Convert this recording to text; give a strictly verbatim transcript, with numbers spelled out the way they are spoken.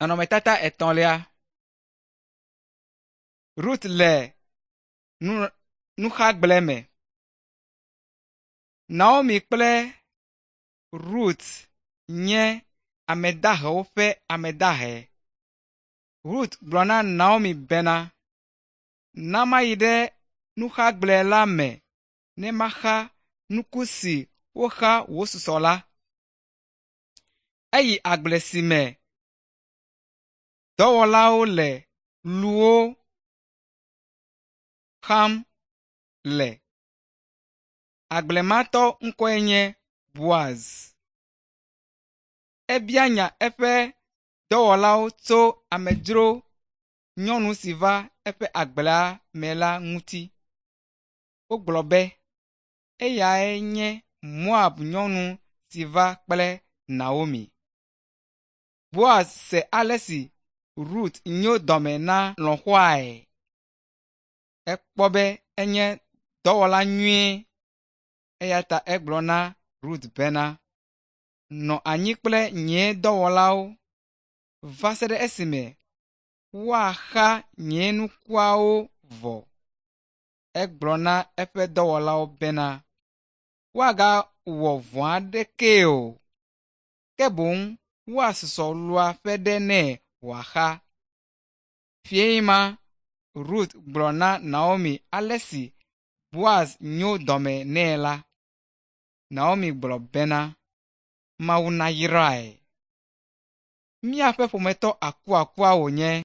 Nɔnɔmetata etɔ̃lia. Rut le nu nuxagble me. Naomi kple Rut nye ame dahewo ƒe ame dahe. Rut gblɔ na Naomi bena, “Na mayi ɖe nuxagble la me ne maxa nuku si woxa wòsusɔ la.” Eyi agble si me dɔwɔlawo le luwo xam le. Agblematɔ ŋkɔe nye Boaz. Ebia nya eƒe dɔwɔlawo tso amedzro nyɔnu si va eƒe agblea me la ŋuti. Wogblɔ be eyae nye Moab nyɔnu si va kple Naomi. Boaz se ale si Rut nyo dɔme na lɔ̃xoae. Ekpɔ be enye dɔwɔla nyui eya ta egblɔ na Rut bena, “Nɔ anyi kple nye dɔwɔlawo va se ɖe esime woaxa nye nukuawo vɔ.” Egblɔ na eƒe dɔwɔlawo bena, woagawɔ vɔ̃ aɖekee o, ke boŋ woasusɔ lua ƒe ɖe nɛ wòaxa. Fiẽ ma Rut gblɔ na Naomi ale si Boaz nyo dɔme nɛ la. Naomi gblɔ bena, “Mawu nayrae. Míaƒe ƒometɔ akuakua wònye.”